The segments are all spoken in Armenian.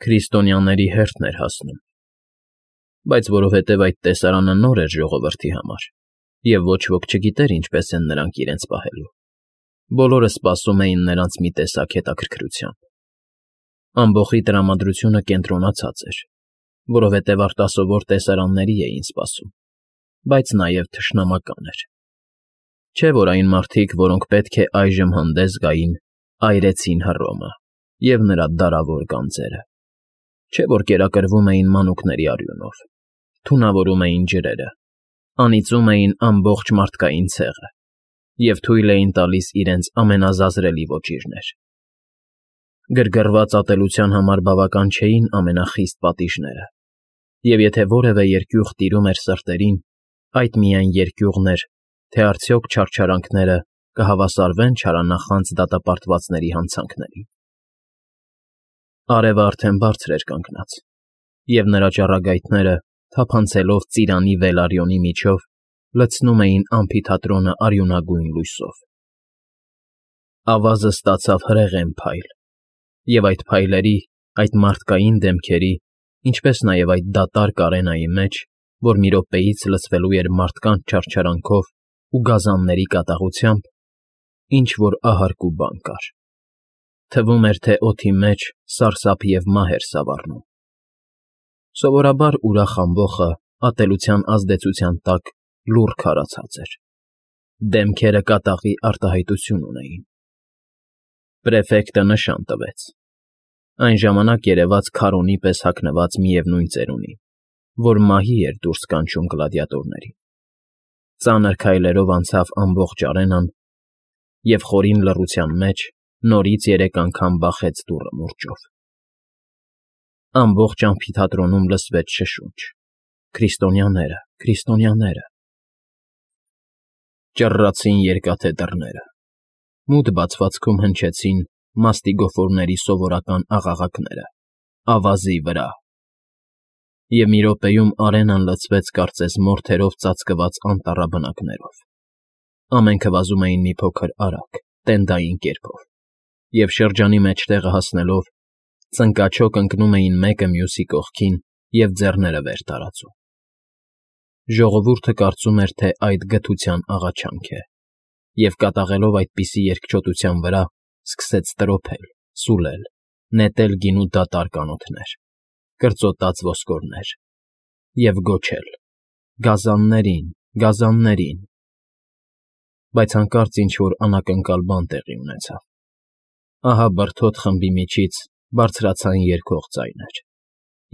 Քրիստոնյաների հերթն էր հասնում, բայց որովհետև այդ տեսարանը նոր էր ժողովրդի համար, և ոչ ոք չգիտեր ինչպես են նրանք իրենց պահելու, բոլորը սպասում էին նրանց մի տեսակ հետաքրքրությամբ. ամբոխի տրամադրությունը կենտրոնացած էր, որովհետև արտասովոր տեսարանների էին սպասում, բայց նաև թշնամական էր. չէ՞ որ այն մարդիկ, որոնք պետք է այժմ հանդես գային, այրեցին Հռոմը և նրա դարավոր գանձերը, չէ՞ որ կերակրվում էին մանուկների արյունով, թունավորում էին ջրերը, անիծում էին ամբողջ մարդկային ցեղը և թույլ էին տալիս իրենց ամենազազրելի ոճիրներ. գրգռված ատելության համար բավական չէին ամենախիստ պատիժները, և եթե որևէ երկյուղ տիրում էր սրտերին, այդ միայն երկյուղն էր, թե արդյոք չարչարանքները կհավասարվեն չարանախանձ դատապարտվածների հանցանքներին։ Արևը արդեն բարձր էր կանգնած, և նրա ճառագայթները, թափանցելով ծիրանի վելարյոնի միջով, լցնում էին ամֆիթատրոնը արյունագույն լույսով։ Ավազը ստացավ հրեղեն փայլ, և այդ փայլերի, այդ մարդկային դեմքերի, ինչպես նաև այդ դատարկ արենայի մեջ, որ մի րոպեից լցվելու էր մարդկանց չարչարանքով ու գազանների կատաղությամբ, ինչ֊որ ահարկ ու բան կար. թվում էր, թե օդի մեջ սարսափ և մահ էր սավառնում։ Սովորաբար ուրախ ամբոխը ատելության ազդեցության տակ լուռ քարացած էր, դեմքերը կատաղի արտահայտություն ունեին։ Պրեֆեկտը նշան տվեց. այն ժամանակ երևաց քարոնի պես հագնված միևնույն ծերունին, որ մահի էր դուրս կանչում գլադիատորներին, ծանր քայլերով անցավ ամբողջ արենան և խորին լռության մեջ նորից 3 անգամ բախեց դուռը մուրճով։ Ամբողջ ամֆիթատրոնում լսվեց շշունչ. «Քրիստոնյաները, քրիստոնյաները»։ Ճռռացին երկաթե դռները, մութ բացվածքում հնչեցին մաստիգոֆորների սովորական աղաղակները՝ ավազի վրա։ Եվ մի րոպեում արենան լցվեց կարծես մորթերով ծածկված անտառաբնակներով։ Ամենքը վազում էին մի փոքր արագ, տենդային կերպով, և շրջանի մեջտեղը հասնելով, ծնկաչոք ընկնում էին մեկը մյուսի կողքին և ձեռները վեր տարածում։ Ժողովուրդը կարծում էր, թե այդ գթության աղաչանք է, և կատաղելով այդպիսի երկչոտության վրա, սկսեց տրոփել, սուլել, նետել գինու դատարկ անոթներ, կրծոտած ոսկորներ և գոչել. «Գազաններին, գազաններին»։ Բայց հանկարծ ինչ֊որ անակնկալ բան տեղի ունեցավ։ Ահա բրդոտ խմբի միջից բարձրացան երգող ձայներ,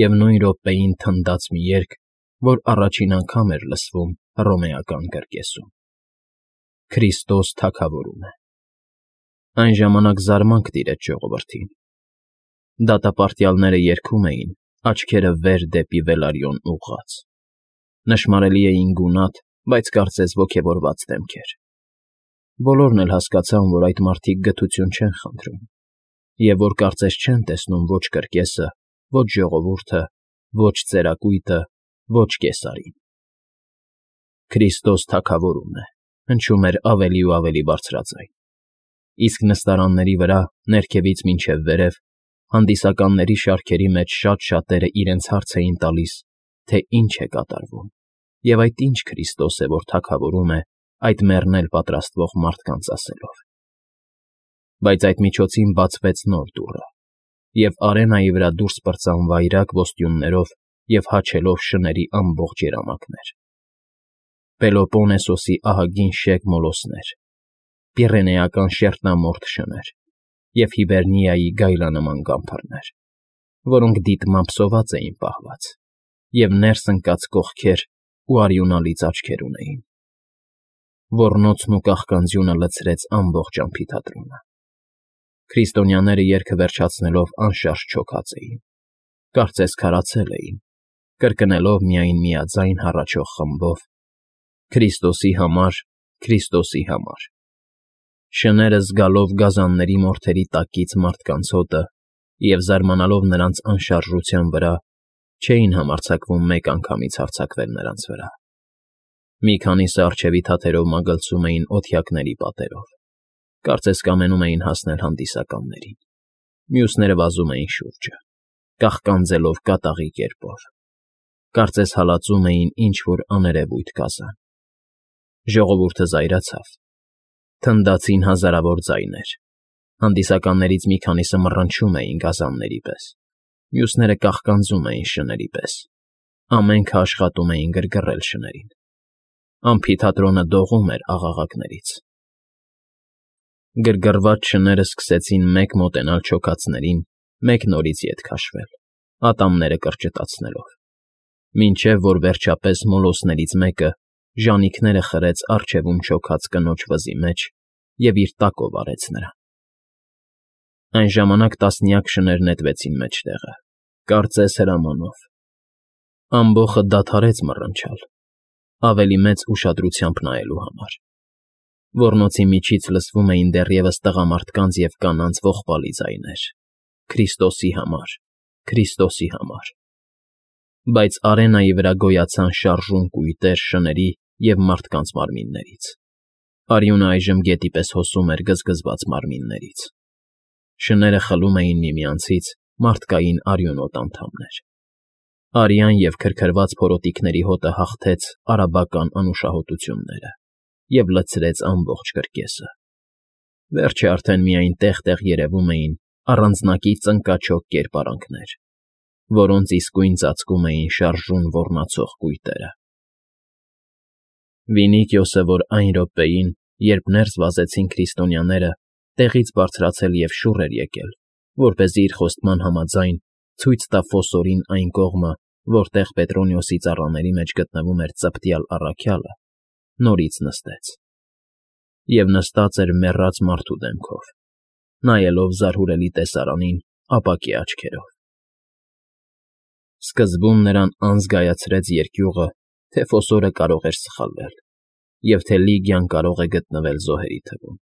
և նույն րոպեին թնդաց մի երգ, որ առաջին անգամ էր լսվում հռոմեական կրկեսում. «Քրիստոս թագավորում է»։ Այն ժամանակ զարմանք տիրեց ժողովրդին։ Դատապարտյալները երգում էին, աչքերը վեր դեպի Վելարիոն ուղղած։ Նշմարելի էին գունատ, բայց կարծես ոգևորված դեմքեր։ Բոլորն էլ հասկացան, որ այդ մարդիկ գթություն չեն խնդրում, և որ կարծես չեն տեսնում ոչ կրկեսը, ոչ ժողովուրդը, ոչ ծերակույտը, ոչ կեսարին։ «Քրիստոս թագավորում է», հնչում էր ավելի ու ավելի բարձրաձայն, իսկ նստարանների վրա, ներքևից մինչև վերև, հանդիսականների շարքերի մեջ շատ֊շատերը իրենց հարց էին տալիս, թե ինչ է կատարվում, և այդ ինչ Քրիստոս է, որ թագավորում է այդ մեռնել պատրաստվող մարդկանց ասելով։ Բայց այդ միջոցին բացվեց նոր դուռը, և արենայի վրա դուրս պրծան վայրագ ոստյուններով և հաչելով շների ամբողջ երամակներ. Պելոպոնեսոսի ահագին շեկ մոլոսներ, Պիրենեական շերտնամորթ շներ և Հիբերնիայի գայլանման գամբարներ, որոնք դիտմամբ սոված էին պահված, և ներս ընկած կողքեր ու արյունալից աչքեր ունեին։ Ոռնոցն ու կաղկանձյունը լցրեց ամբողջ ամֆիթատրոնը։ Քրիստոնյաները երգը վերջացնելով անշարժ չոքած էին, կարծես քարացել էին, կրկնելով միայն միաձայն հառաչող խմբով. «Քրիստոսի համար, Քրիստոսի համար»։ Շները զգալով գազանների մորթերի տակից մարդկանց հոտը և զարմանալով նրանց անշարժության վրա, չէին համարձակվում մեկ անգամից հարձակվել նրանց վրա։ Մի քանիսը առջևի թաթերով մագլցում էին օթյակների պատերով, կարծես կամենում էին հասնել հանդիսականներին, մյուսները վազում էին շուրջը։ կաղկանձելով կատաղի կերպով։ Կարծես հալածում էին ինչ-որ աներևույթ գազան։ Ժողովուրդը զայրացավ։ Թնդացին հազարավոր ձայներ։ Հանդիսականներից մի քանիսը մռնչում էին գազանների պես, մյուսները կաղկանձում էին շների պես, ամենքը աշխատում էին գրգռել շներին։ Ամֆիթատրոնը դողում էր աղաղակներից։ Գրգռված շները սկսեցին մեկ մոտենալ չոքածներին, մեկ նորից ետ քաշվել, ատամները կրճտացնելով, մինչև որ վերջապես մոլոսներից մեկը ժանիքները խրեց առջևում չոքած կնոջ վզի մեջ և իր տակով արեց նրան։ Այն ժամանակ տասնյակ շներ նետվեցին մեջտեղը, կարծես հրամանով։ Ամբոխը դադարեց մռնչալ, ավելի մեծ ուշադրությամբ նայելու համար։ Ոռնոցի միջից լսվում էին դեռևս տղամարդկանց և կանանց ողբալի ձայներ. «Քրիստոսի համար, Քրիստոսի համար»։ Բայց արենայի վրա գոյացան շարժուն կույտեր շների և մարդկանց մարմիններից։ Արյունը այժմ գետի պես հոսում էր գզգզված մարմիններից։ Շները խլում էին միմյանցից մարդկային արյունոտ անդամներ։ Արյան և քրքրված փորոտիքների հոտը հաղթեց արաբական անուշահոտությունները և լցրեց ամբողջ կրկեսը։ Վերջը արդեն միայն տեղ֊տեղ երևում էին առանձնակի ծնկաչոք կերպարանքներ, որոնց իսկույն ծածկում էին շարժուն ոռնացող կույտերը։ Վինիկիոսը, որ այն րոպեին, երբ ներս վազեցին քրիստոնյաները, տեղից բարձրացել և շուռ էր եկել, որպեսզի իր խոստման համաձայն ցույց տա Ֆոսորին այն կողմը, որտեղ Պետրոնիոսի ծառաների մեջ գտնվում էր ծպտյալ առաքյալը, նորից նստեց։ Եվ նստած էր մեռած մարդու դեմքով, նայելով զարհուրելի տեսարանին ապակի աչքերով։ Սկզբում նրան անզգայացրեց երկյուղը, թե Ֆոսորը կարող էր սխալվել, և թե Լիգիան կարող է գտնվել զոհերի թվում։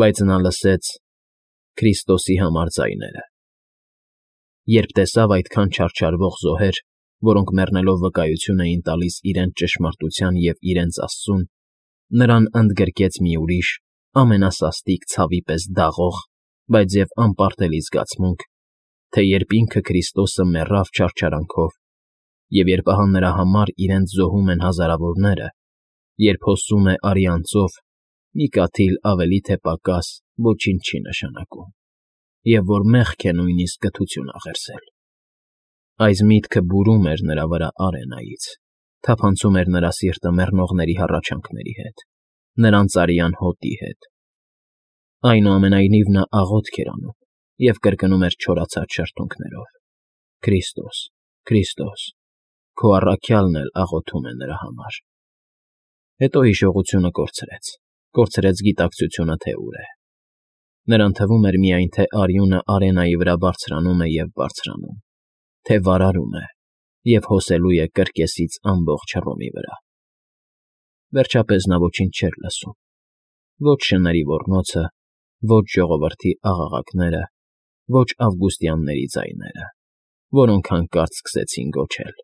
Բայց նա լսեց Քրիստոսի համար ձայները։ Երբ տեսավ այդքան չարչարվող զոհեր, որոնք մեռնելով վկայություն էին տալիս իրենց ճշմարտության և իրենց Աստծուն, նրան ընդգրկեց մի ուրիշ, ամենասաստիկ ցավի պես դաղող, բայց և անպարտելի զգացմունք, թե երբ ինքը Քրիստոսը մեռավ չարչարանքով, և երբ ահա նրա համար իրենց զոհում են հազարավորները, երբ հոսում է արյան ծով, մի կաթիլ ավելի թե պակաս ոչինչ չի նշանակում, և որ մեղք է նույնիսկ կթություն աղերսել։ Այս միտքը բուրում էր նրա վրա արենայից, թափանցում էր նրա սիրտը մեռնողների հառաչանքների հետ, նրանց արյան հոտի հետ։ Այնուամենայնիվ նա աղոթք էր անում և կրկնում էր չորացած շրթունքներով. «Քրիստոս, Քրիստոս, քո առաքյալն էլ աղոթում է նրա համար»։ Հետո հիշողությունը կորցրեց գիտակցությունը, թե ուր է։ Նրան թվում էր միայն, թե արյունը արենայի վրա բարձրանում է և բարձրանում, թե վարարում է և հոսելու է կրկեսից ամբողջ Հռոմի վրա։ Վերջապես նա ոչինչ չէր լսում. ոչ շների ոռնոցը, ոչ ժողովրդի աղաղակները, ոչ ավգուստյանների ձայները, որոնք հանկարծ սկսեցին գոչել.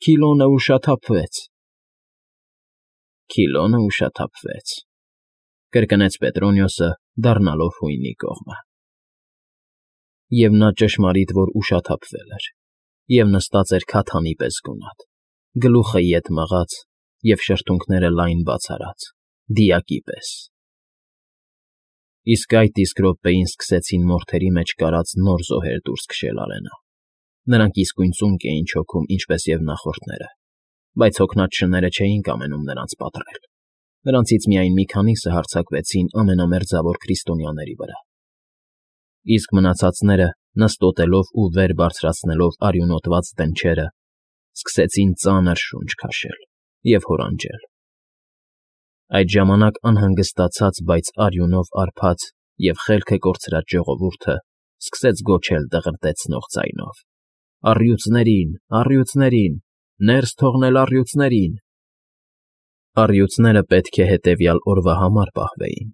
«Քիլոնը ուշաթափվեց»։ «Քիլոնը ուշաթափվեց», կրկնեց Պետրոնիոսը, դառնալով հույնի կողմը։ Եվ նա ճշմարիտ որ ուշաթափվել էր, և նստած էր քաթանի պես գունատ, գլուխը ետ մղած և շրթունքները լայն բաց արած, դիակի պես։ Իսկ այդ իսկ րոպեին սկսեցին մորթերի մեջ կարած նոր զոհեր դուրս քշել արենա։ Նրանք իսկույն ծունկ էին չոքում, ինչպես և նախորդները, բայց հոգնած շները չէին կամենում նրանց պատռել։ Նրանցից միայն մի քանիսը հարձակվեցին ամենամերձավոր քրիստոնյաների վրա։ Իսկ մնացածները, նստոտելով ու վեր բարձրացնելով արյունոտված դնչերը, սկսեցին ծանր շունչ քաշել և հորանջել։ Այդ ժամանակ անհանգստացած, բայց արյունով արբած և խելքը կորցրած ժողովուրդը սկսեց գոչել դղրդեցնող ձայնով. «Առյուծներին, առյուծներին, ներս թողնել առյուծներին»։ Առյուծները պետք է հետևյալ օրվա համար պահվեին,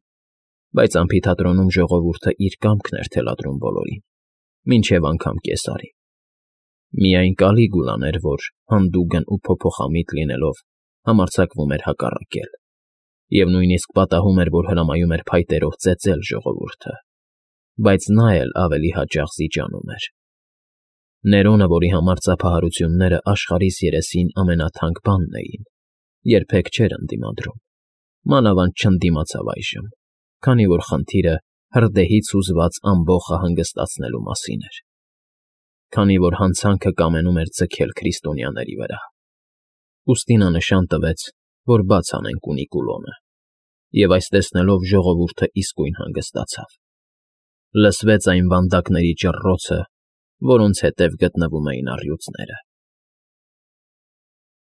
բայց ամֆիթատրոնում ժողովուրդը իր կամքն էր թելադրում բոլորին, մինչև անգամ կեսարի։ Միայն Կալիգուլան էր, որ, հանդուգն ու փոփոխամիտ լինելով, համարձակվում էր հակառակել, և նույնիսկ պատահում էր, որ հրամայում էր փայտերով ծեծել ժողովուրդը, բայց նա էլ ավելի հաճախ զիջանում էր։ Ներոնը, որի համար ծափահարությունները աշխարհիս երեսին ամենաթանկ բանն էին, երբեք չէր ընդդիմադրում, մանավանդ չընդդիմացավ այժմ, քանի որ խնդիրը հրդեհից հուզված ամբոխը հանգստացնելու մասին էր, քանի որ հանցանքը կամենում էր ձգել քրիստոնյաների վրա։ Ուստի նա նշան տվեց, որ բաց անեն կունիկուլոնը, և այս տեսնելով ժողովուրդը իսկույն հանգստացավ։ Լսվեց այն վանդակների ճռռոցը, որոնց հետև գտնվում էին առյուծները։